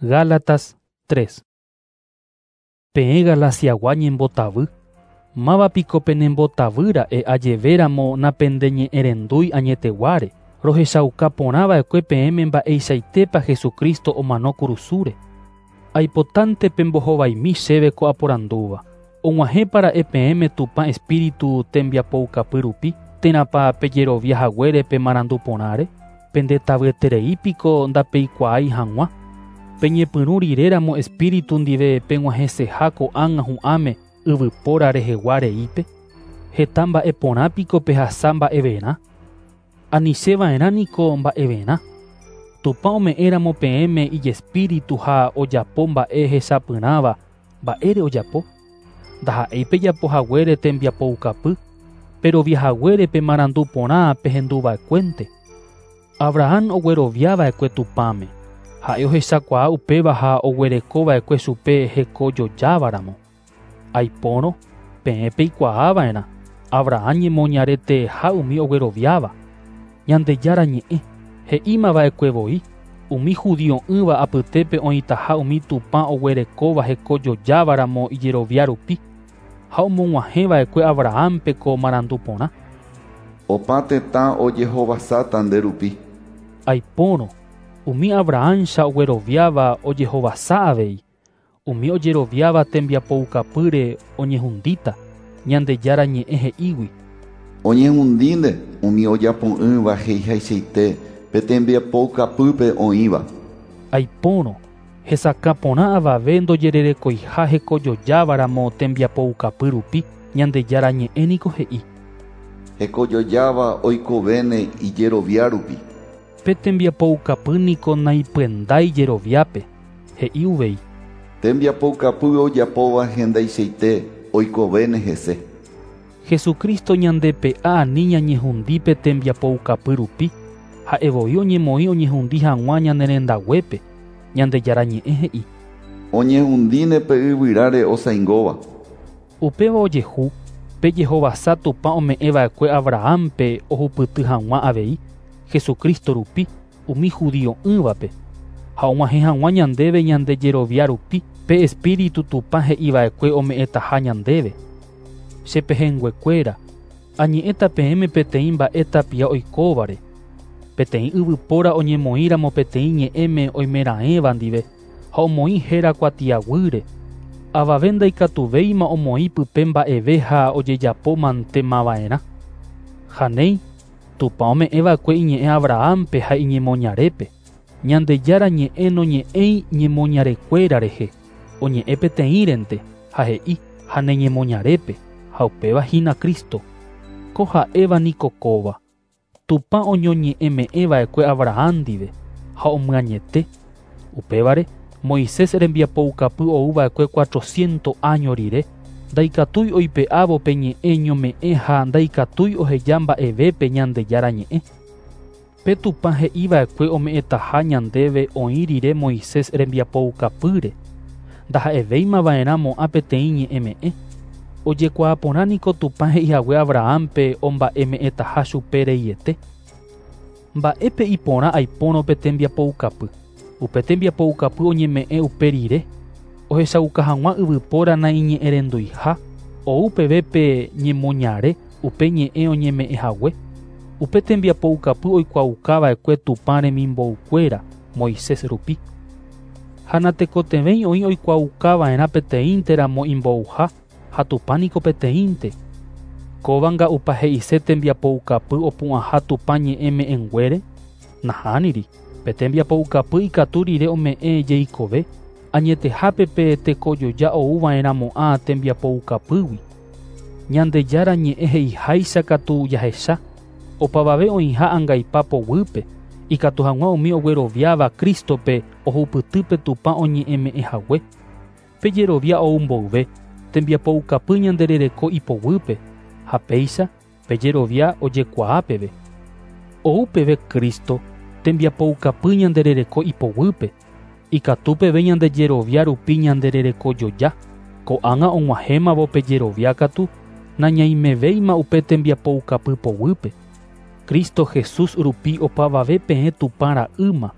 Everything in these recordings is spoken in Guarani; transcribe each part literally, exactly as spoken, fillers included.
Gálatas tres. Peẽ Galaciagua ñembotavy, máva piko penembotavýra'e ajevéramo napendeñe'ẽrendúi añeteguáre, rohechauka porãva'ekue peẽme mba'eichaitépa Jesucristo omano kurusúre. Aipotánte pembohovaimi chéve ko aporandúva. Og̃uahẽpara'e peẽme Tupã Espíritu tembiapoukapy rupi, térãpa pejerovia haguére pe marandu porãre, pendetavyeterei piko ndapeikuaái hag̃ua. Peñepyrũ riréramo Espíritu ndive peg̃uahẽseha ko'ág̃a hu'ãme yvypóra rehegua reípe, heta mba'e porã piko pehasa mba'everã. Anicheva'erã niko mba'everã. Tupã ome'ẽramo peẽme ijespíritu ha ojapo mba'e hechapyrãva mba'ére ojapo. Ndaha'éi pejapo haguére tembiapoukapy, perovia haguére pe marandu porã pehenduva'ekuénte. Abraham ogueroviava'ekue Tupãme. Ha'e ohechakuaa upéva ha oguerekova'ekue chupe hekojojávaramo. Aipórõ peẽ peikuaava'erã Abraham ñemoñareteha umi ogueroviáva. Ñandejára ñe'ẽ he'ímava'ekue voi umi judio'ỹva apytépe oĩtaha umi Tupã oguerekóva hekojojávaramo ijerovia rupi ha omog̃uahẽva'ekue Abrahampe ko marandu porã. Opa tetã ojehovasáta nde rupi. Aipórõ umi Abrahamcha ogueroviáva ojehovasa avei. Umi ojeroviáva tembiapoukapýre oñehundíta Ñandejára ñe'ẽ he'ígui. Oñehundínte umi ojapo'ỹva he'ihaichaite pe tembiapoukapýpe oĩva. Aipórõ hesakã porã avave ndojererekoiha hekojojávaramo tembiapoukapy rupi Ñandejára ñe'ẽ niko he'i. Hekojojáva oikovéne ijerovia rupi. Pe tembiapoukapy niko naipyendái jeroviápe, he'i uvei. Tembiapoukapy ojapóva hendaichaite oikovéne hese. Jesucristo ñandepe'a ani ñañehundi pe tembiapoukapy rupi, ha'evoi oñemoĩ oñehundi hag̃ua ñane rendaguépe, Ñandejára ñe'ẽ he'i. Oñehundíne pe yvyráre osaingóva. Upéva ojehu pe jehovasa Tupã ome'ẽva'ekue Abrahampe ohupyty hag̃ua avei Jesucristo rupi umi judio'ỹvape ha og̃uahẽ hag̃ua ñandéve ñande jerovia rupi pe Espíritu Tupã he'iva'ekue ome'ẽtaha ñandéve. Che pehẽnguekuéra, añe'ẽta peẽme peteĩ mba'e tapia oikóvare. Peteĩ yvypóra oñemoĩramo peteĩ ñe'ẽme oimeraẽva ndive ha omoĩ héra kuatiaguýre. Avave ndaikatuvéima omoĩ pype mba'eve ha ojejapo mantemava'erã. Janéi, Tupã ome'ẽva'ekue iñe'ẽ Abrahampe ha iñemoñarépe. Ñandejára ñe'ẽ noñe'ẽi ñemoñarekuéra rehe, oñe'ẽ peteĩrente ha he'i ha neñemoñarépe ha upéva hína Cristo. Ko ha'éva niko kóva. Tupã oñoñe'ẽme'ẽva'ekue Abraham ndive ha omyañete. Upévare Moisés rembiapoukapy ouva'ekue cuatrocientos año rire, ndaikatúi oipe'ávo pe ñe'ẽ ñome'ẽ ha ndaikatúi oheja mba'evépe Ñandejára ñe'ẽ. Pe Tupã he'iva'ekue ome'ẽtaha ñandéve oĩ rire Moisés rembiapoukapýre, ndaha'evéimava'erã mo'ã peteĩ ñe'ẽme'ẽ. Ojekuaa porã niko Tupã he'ihague Abrahampe omba'eme'ẽtaha chupe reiete. Mba'épe iporã aipórõ pe tembiapoukapy. Upe tembiapoukapy oñeme'ẽ upe rire, ohechauka hag̃ua yvypóra naiñe'ẽrenduiha, ou peve pe ñemoñare upe ñe'ẽ oñeme'ẽhague. Upe tembiapoukapy oikuaukava'ekue Tupã remimboukuéra Moisés rupi. Ha natekotevẽi oĩ oikuaukava'erã peteĩnteramo imbouha ha Tupã niko peteĩnte. Kóva nga'upa he'ise tembiapoukapy opu'ãha Tupã ñe'ẽme'ẽnguére? Nahániri. Pe tembiapoukapy ikatu rire ome'ẽ jeikove, añetehápe pe tekojoja ouva'erãmo'ã tembiapoukapýgui. Ñandejára ñe'ẽ he'iháicha katu jahecha, opavave oĩha angaipa poguýpe, ikatu hag̃ua umi ogueroviáva Cristope ohupytýpe Tupã oñe'ẽme'ẽhague. Pe jerovia ou mboyve, tembiapoukapy ñanderereko ipoguýpe, ha péicha pe jerovia ojekuaa peve. Ou peve Cristo, tembiapoukapy ñanderereko ipoguýpe, ikatu peve ñande jerovia rupi ñandererekojoja. Ko'ág̃a og̃uahẽmavo pe jerovia katu, nañaimevéima upe tembiapoukapy poguýpe. Cristo Jesús rupi opavave peẽ Tupã ra'ýma,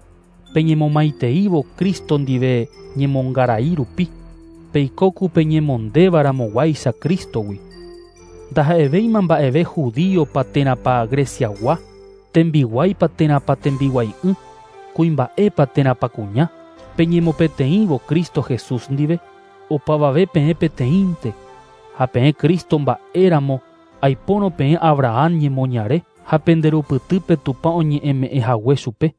Peñemomaiteívo Cristo ndive ñemongarai rupi, peikóku peñemondévaramoguáicha Cristogui. Ndaha'evéima mba'eve judíopa térãpa Greciagua, tembiguáipa térãpa tembiguai'ỹ, kuimba'épa térãpa kuña, peñemopeteĩvo Cristo Jesús ndive, opavave peẽ peteĩnte, ha peẽ Cristo mba'éramo aipórõ peẽ Abraham ñemoñare ha penderupytýpe Tupã oñe'ẽme'ẽ hague chupe.